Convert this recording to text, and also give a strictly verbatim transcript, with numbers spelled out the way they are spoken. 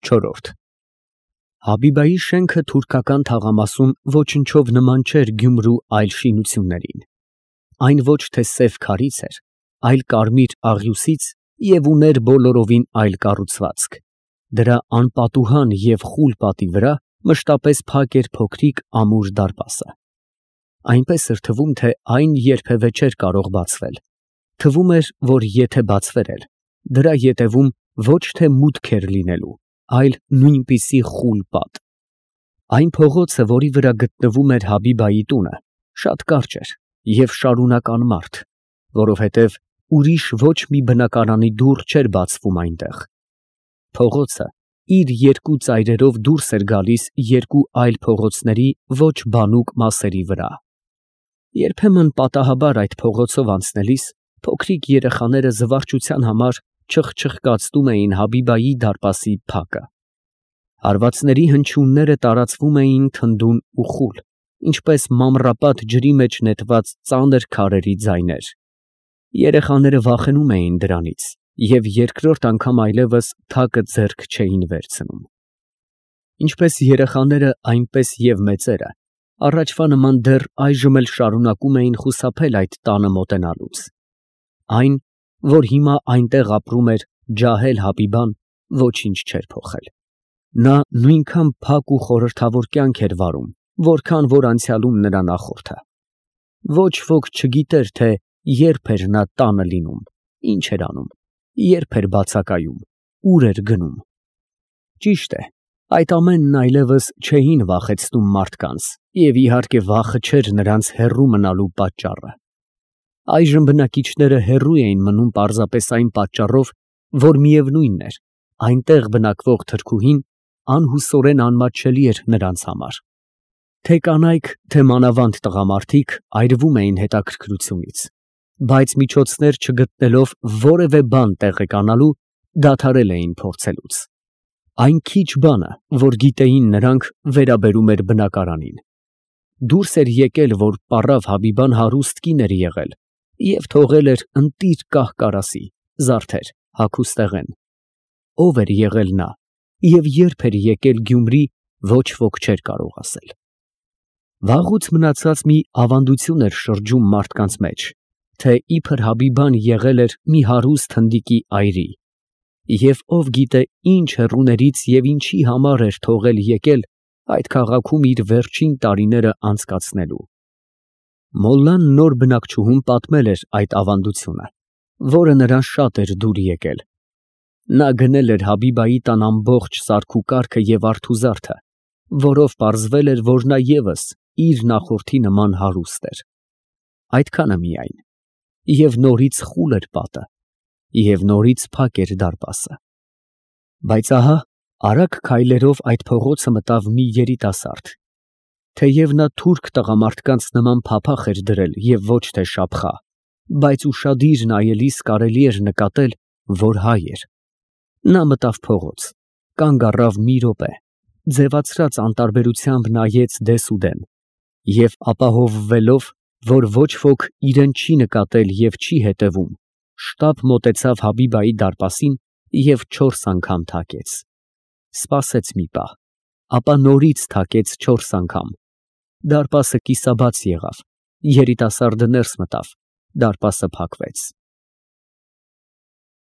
Չորրորդ Հաբիբայի շենքը թուրքական թաղամասում ոչնչով նման չէր Գյումրու այլ շինություններին. այն ոչ թե սև քարից էր, այլ կարմիր աղյուսից և ուներ բոլորովին այլ կառուցվածք. դրա անպատուհան և խուլ պատի վրա մշտապես փակ էր փոքրիկ ամուր դարպասը. այնպես էր թվում, թե այն երբևէ չէր կարող բացվել. թվում էր, որ եթե բացվեր էլ, դրա ետևում ոչ թե մուտք էր լինելու, այլ նույնպիսի խուլ պատ. Այն փողոցը, որի վրա գտնվում էր Հաբիբայի տունը, շատ կարճ էր և շարունակ անմարդ, որովհետև ուրիշ ոչ մի բնակարանի դուռ չէր բացվում այնտեղ. փողոցը իր երկու ծայրերով դուրս էր գալիս երկու այլ փողոցների ոչ բանուկ մասերի վրա. երբեմն պատահաբար այդ փողոցով անցնելիս փոքրիկ երեխաները զվարճության համար չխչխկացնում էին Հաբիբայի դարպասի փակը. հարվածների հնչյունները տարածվում էին թնդուն ու խուլ, ինչպես մանրապատ ջրի մեջ նետված ծանր քարերի ձայներ. երեխաները վախենում էին դրանից և երկրորդ անգամ այլևս թակը ձեռք չէին վերցնում. Ինչպես երեխաները, այնպես և մեծերը առաջվա նման դեռ այժմ էլ շարունակում էին խուսափել այդ տանը մոտենալուց. այն, որ հիմա այնտեղ ապրում էր ջահել Հաբիբան, ոչինչ չէր փոխել. նա նույնքան փակ ու խորհրդավոր կյանք էր վարում, որքան որ անցյալում նրա նախորդը. ոչ ոք չգիտեր, թե երբ էր նա տանը լինում, ինչ էր անում, երբ էր բացակայում, ուր էր գնում. ճիշտ է, այդ ամենն այլևս չէին վախեցնում մարդկանց և իհարկե վախը չէր նրանց հեռու մնալու պատճառը. այժմ բնակիչները հեռու էին մնում պարզապես այն պատճառով, որ միևնույնն էր, այնտեղ բնակվող թրքուհին անհուսորեն անմատչելի էր նրանց համար. Թե կանայք, թե մանավանդ տղամարդիկ այրվում էին հետաքրքրությունից, բայց միջոցներ չգտնելով որևէ բան տեղեկանալու, դադարել էին փորձելուց. այն քիչ բանը, որ գիտեին նրանք, վերաբերում էր բնակարանին. դուրս էր եկել, որ պառավ Հաբիբան հարուստ կին էր եղել և թողել էր ընտիր կահ֊կարասի, զարդեր, հագուստեղեն. ով էր եղել նա և երբ էր եկել Գյումրի, ոչ ոք չէր կարող ասել. Վաղուց մնացած մի ավանդություն էր շրջում մարդկանց մեջ, թե իբր Հաբիբան եղել էր մի հարուստ հնդիկի այրի, և ով գիտե ինչ հեռուներից և ինչի համար էր թողել եկել այդ քաղաքում իր վերջին տարիները անցկացնելու. Մոլլան նոր բնակչուհուն պատմել էր այդ ավանդությունը, որը նրան շատ էր դուր եկել. նա գնել էր Հաբիբայի տան ամբողջ սարքուկարգը և արթուզարդը, որով պարզվել էր, որ նա ևս իր նախորդի նման հարուստ էր. այդքանը միայն, և նորից խուլ էր պատը, և նորից փակ էր դարպասը. բայց ահա արագ քայլերով այդ փողոցը մտավ մի երիտասարդ. թեև նա թուրք տղամարդկանց նման փափախ էր դրել և ոչ թե շափխա, բայց ուշադիր նայելիս կարելի էր նկատել, որ հայ էր. նա մտավ փողոց, կանգ առավ մի րոպե, ձևացրած անտարբերությամբ նայեց դեսուդեն և ապահովվելով, որ ոչ ոք իրան չի նկատել և չի հետևում, շտապ մոտեցավ Հաբիբայի դարպասին և չորս անգամ թակեց. սպասեց մի պահ, ապա նորից թակեց չորս անգամ. դարպասը կիսաբաց եղավ, երիտասարդը ներս մտավ, դարպասը փակվեց.